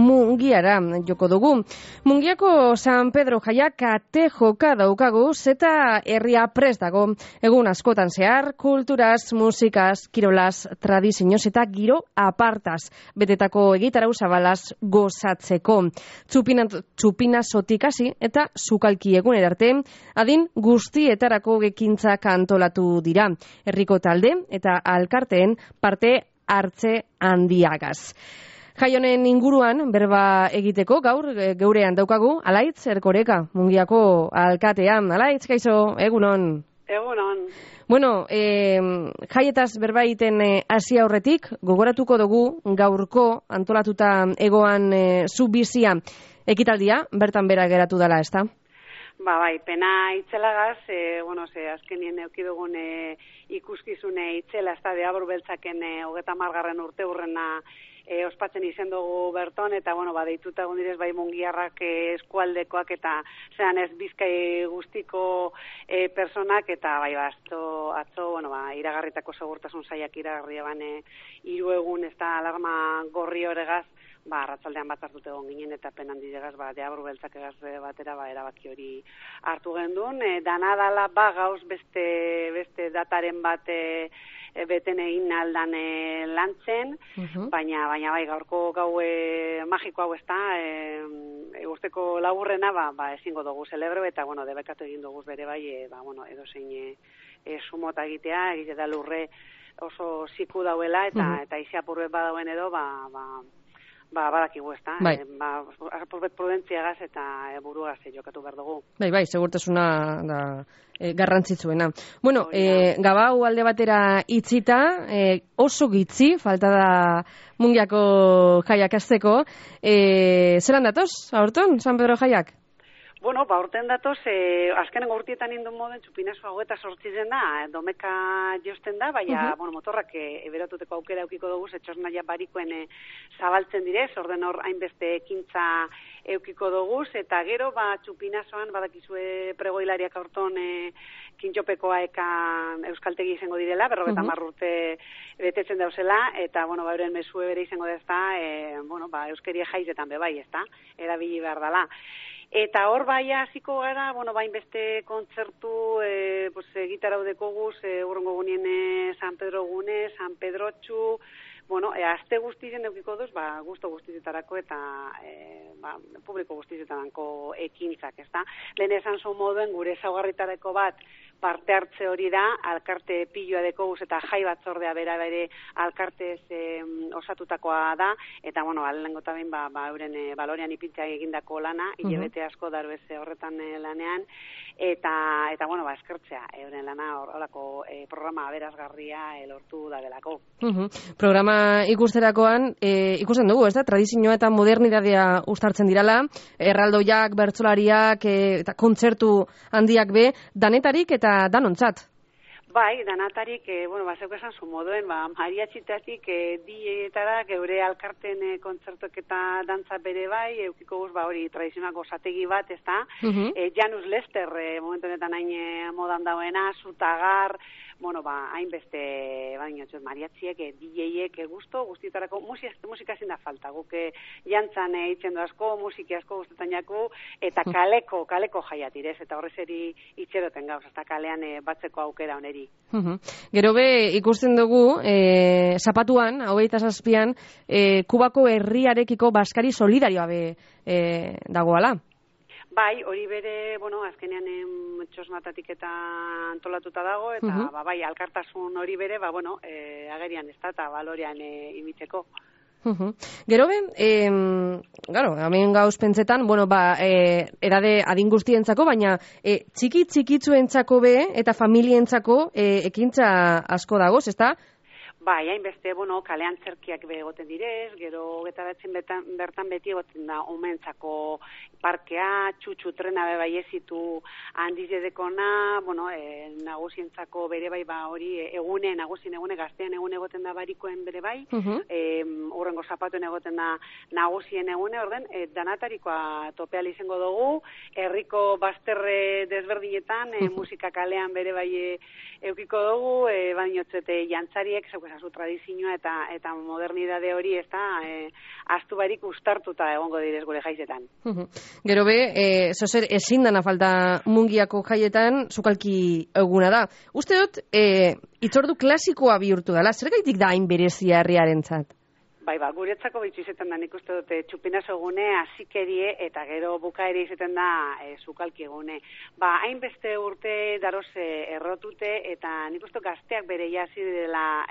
Mungiara joko dugu. Mungiako San Pedro jaiak kate joka daukagu, zeta herria prest dago. Egun askotan zehar, kulturaz, musikaz, kirolaz, tradizioz eta giro apartaz. Betetako egitarau zabalaz gozatzeko. Txupina sotikasi eta sukalki egun arte, adin guztietarako gekintzak antolatu dira. Herriko talde eta alkarteen parte hartze handiagaz. Jai honen inguruan berba egiteko gaur geurean daukagu Alaitz Erkoreka, Mungiako alkatean. Alaitz, kaixo, egunon. Egunon. Bueno, jaietaz berba egiten hasi aurretik, gogoratuko dugu gaurko antolatuta egoan zu bizia ekitaldia, bertan bera geratu dela, ezta? Bai, pena itzelagaz, azkenien eukidugun ikuskizune itzela, ez da, Deabru Beltzaken 30. urte hurrena ospatzen izen dugu berton, eta, deituta egun direz, bai mungiarrak eskualdekoak, eta zean ez Bizkai guztiko personak, eta bai, atzo, iragarritako segurtasun saiak iragarria bane 3 egun, ez da, alarma gorri horregaz, arratsaldean bat hartute egon ginen, eta penan didegaz, Deabru Beltzak egaz batera, erabaki hori hartu gendun. Dana dala, gauz beste dataren bat beten egin aldan lantzen, baina bai, gaurko gau magiko hau ez da, eguzteko laburrena, ezingo dugu celebre, eta, debekatu egin dugu bere bai, edo zein sumota egitea, egite da lurre oso ziku dauela, eta iziapurbe badauen edo, badakigu ez da, bai. Prudentziagaz eta buruagaz jokatu behar dugu. Bai, segurtasuna da garrantzitsuena. Bueno, gabau alde batera itzita, oso gitzi, falta da Mungiako jaiak azteko. Zeran datoz, aurton, San Pedro jaiak? Aurten datoz, azkenengo urtietan indun moden, txupinazo hau eta sortzizen da, domeka josten da, baina, motorrak eberatuteko aukera eukiko dugu, etxosnaia barikoen zabaltzen direz, orden hor hainbeste ekintza eukiko dugu, eta gero, txupinazoan, badakizue pregoilariak aurton kintxopekoa ekan euskaltegi izango direla, 50 urte betetzen dauzela, eta, euren mesue bere izango dezta, euskeria jaizetan bebai, ez da, erabili behar dela. Eta hor hasiko gara, beste kontzertu, gitarau dekoguz, urrengo gunien San Pedro gune, San Pedrotxu, aste guztien eukiko duz, gusto guztietarako eta publiko guztietarako ekintzak, ez da? Lehen esan zu moduen gure ezaugarritarako bat parte hartze hori da, alkarte piloa dekoguz eta jai batzordea bere alkartez osatutakoa da, eta, alengo eta behin, euren balorean ipintzea egindako lana, hilabete asko daru horretan lanean, eta eskertzea, euren lana horrelako programa aberazgarria lortu da delako. Programa ikusterakoan, ikusten dugu, ez da, tradizioa eta modernitatea uztartzen dirala, erraldoiak, bertsolariak, eta kontzertu handiak be, danetarik eta danontzat. Bai, danatarik, zeuk esan zu moduen, mariatxitatik dietara, geure alkarten kontzertuak eta dantza bere bai, eukiko guz, hori tradizionako zategi bat, ez da? Janus Lester, momentu honetan hain modan dauena, Zutagar, hainbeste, mariatxiek, DJ-ek, guztietarako, musika ezin da falta, guk jantzan itzen asko, musiki asko guztetan jaku, eta kaleko jaiatirez, eta horrez eri itxeroten gauz, eta kalean batzeko aukera oneri. Gero be, ikusten dugu, zapatuan, 27an, Kubako herriarekiko baskari solidarioa be dagoala. Bai, hori bere, azkenean txosnatatik eta antolatuta dago, eta alkartasun hori bere, agerian ez da, eta balorean imitzeko. Gero be, hemen gauz pentsetan, edade adin guztientzako, baina txikitzuentzako be eta familientzako ekintza asko dagoz, ez da? Bai, hainbeste, kalean zerkiak egoten direz, gero getaratzen bertan beti egoten da omentzako parkea, txutxu trena bai ezitu handiz edekona, nagusientzako bere bai hori nagusien egune, gaztean egune egoten da barikoen bere bai, urrengo zapatuen egoten da nagusien egune, orden, danatarikoa topeal izango dugu, herriko bazterre desberdinetan, musika kalean bere bai eukiko dugu, baina jantzariek, azu tradizioa eta modernidade hori ez da astu barik ustartuta egongo direz gure jaizetan. Gero be, zozer ezin dana falta Mungiako jaietan sukalki eguna da. Uste dut, itzordu klasikoa bihurtu dela, zer gaitik da hain berezia herriarentzat? Bai, guretzako bitxu izaten da, nik uste dute txupinazo egune, azikerie eta gero bukaere izaten da sukalki egune. Hainbeste urte daroze errotute eta nik uste gazteak bere jasi dela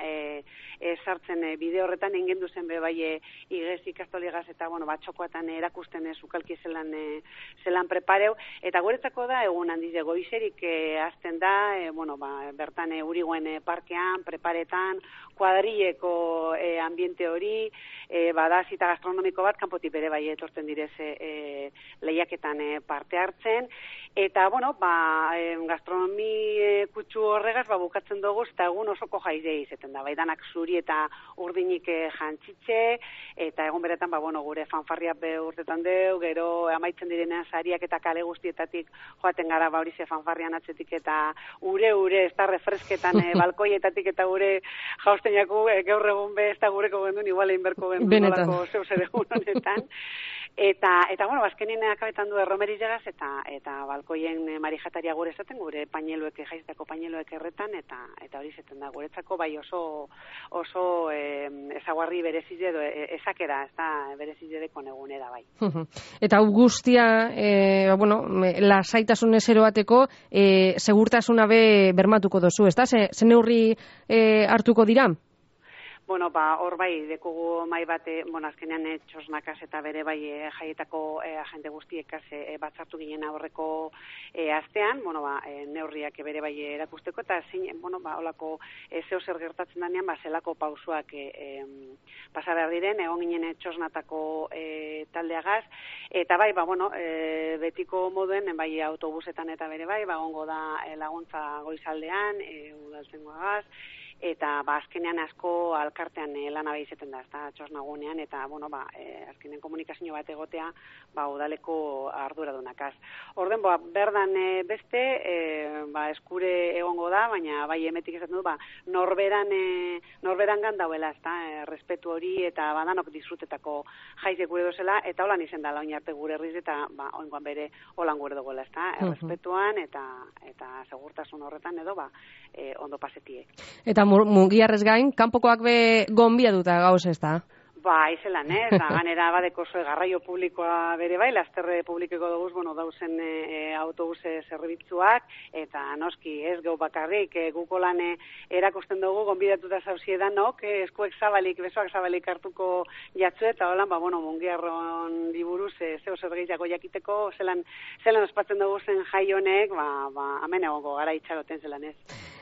sartzen bide horretan engendu zen be bai igez ikastoligaz eta txokoatan erakusten sukalki zelan prepareu eta guretzako da egun handiz goizerik hasten da, bertan Urigoen parkean, preparetan, kuadrileko ambiente hori, bada zita gastronomiko bat, kanpotik bere bai etortzen direz lehiaketan parte hartzen, eta, gastronomi kutsu horregaz, bukatzen dugu, eta egun osoko jaizea izaten da, danak zuri eta urdinik jantzitxe, eta egun beretan, gure fanfarriak urtetan deu, gero amaitzen direnean sariak eta kale guztietatik joaten gara, hori ze fanfarrian atzetik, eta ure, ez da refresketan balkoietatik, eta gure jausten jaku, gaur egun be, ez da gureko gendun, igual inberko gendun, nolako zeu zer egun honetan. Eta azkenien akabetan du erromeriz jagaz, eta balkoien marijataria gure esaten, gure paineluek, jaiztako paineluek erretan, eta hori zaten da, guretzako bai oso ezaguarri berezize edo ezakera, ez da berezize dekon egunera bai. Eta hau guztia, lasaitasun ezero bateko, segurtasuna be bermatuko dozu, ez da? Ze neurri hartuko dira? Hor bai, dekugu mai bat, azkenean txosnakaz eta bere bai jaietako agente guztiekaz batzartu ginen aurreko astean, neurriak bere bai erakusteko, eta holako zeo zer gertatzen danean, zelako pausuak pasa behar diren, egon ginen txosnatako taldeagaz, eta bai, betiko moduen, bai autobusetan eta bere bai, ongo da laguntza goizaldean, udaltzengoagaz, eta azkenean asko alkartean lana behizeten da, ez da, txosnagunean, eta, azkenean komunikazio bat egotea, udaleko arduradunakaz. Orden, berdan beste, eskure egongo da, baina bai emetik esaten du, norberan gandauela, ez da, respetu hori, eta badanok disfrutetako jaize gure dozela, eta holan izen da, laun arte gure herriz, eta oingoan bere holan gure duguela, ez da, respetuan, eta segurtasun horretan edo, ondo pasetiek. Eta Mungiarrez gain, kanpokoak be gonbiatuta gauz ez da? Izelan, ganera badeko zue garraio publikoa bere bai, lasterre publikeko duguz, dauzen autobuse zerbitzuak, eta noski ez gau bakarrik, guko lan erakusten dugu, gonbidatuta zauziedan, eskuek zabalik, besoak zabalik hartuko jatzu, eta holan, Mungiarron diburuz, zeo zer gehiago jakiteko, zelan ospatzen dugu zen jai honek, hemen egongo gara itxaroten zelan ez.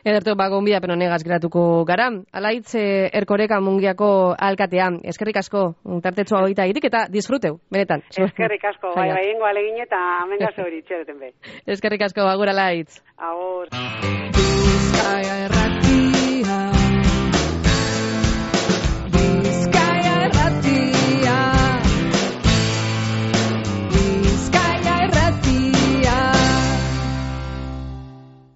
Ederto, gonbidapen honegaz geratuko gara. Alaitz Erkoreka Mungiako alkatea. Eskerrik asko, tartetxoa hogeita irik eta disfruteu, benetan. Eskerrik asko, bai ingo alegin eta amengaz hori itxereten be. Eskerrik asko, agur Alaitz. Agur.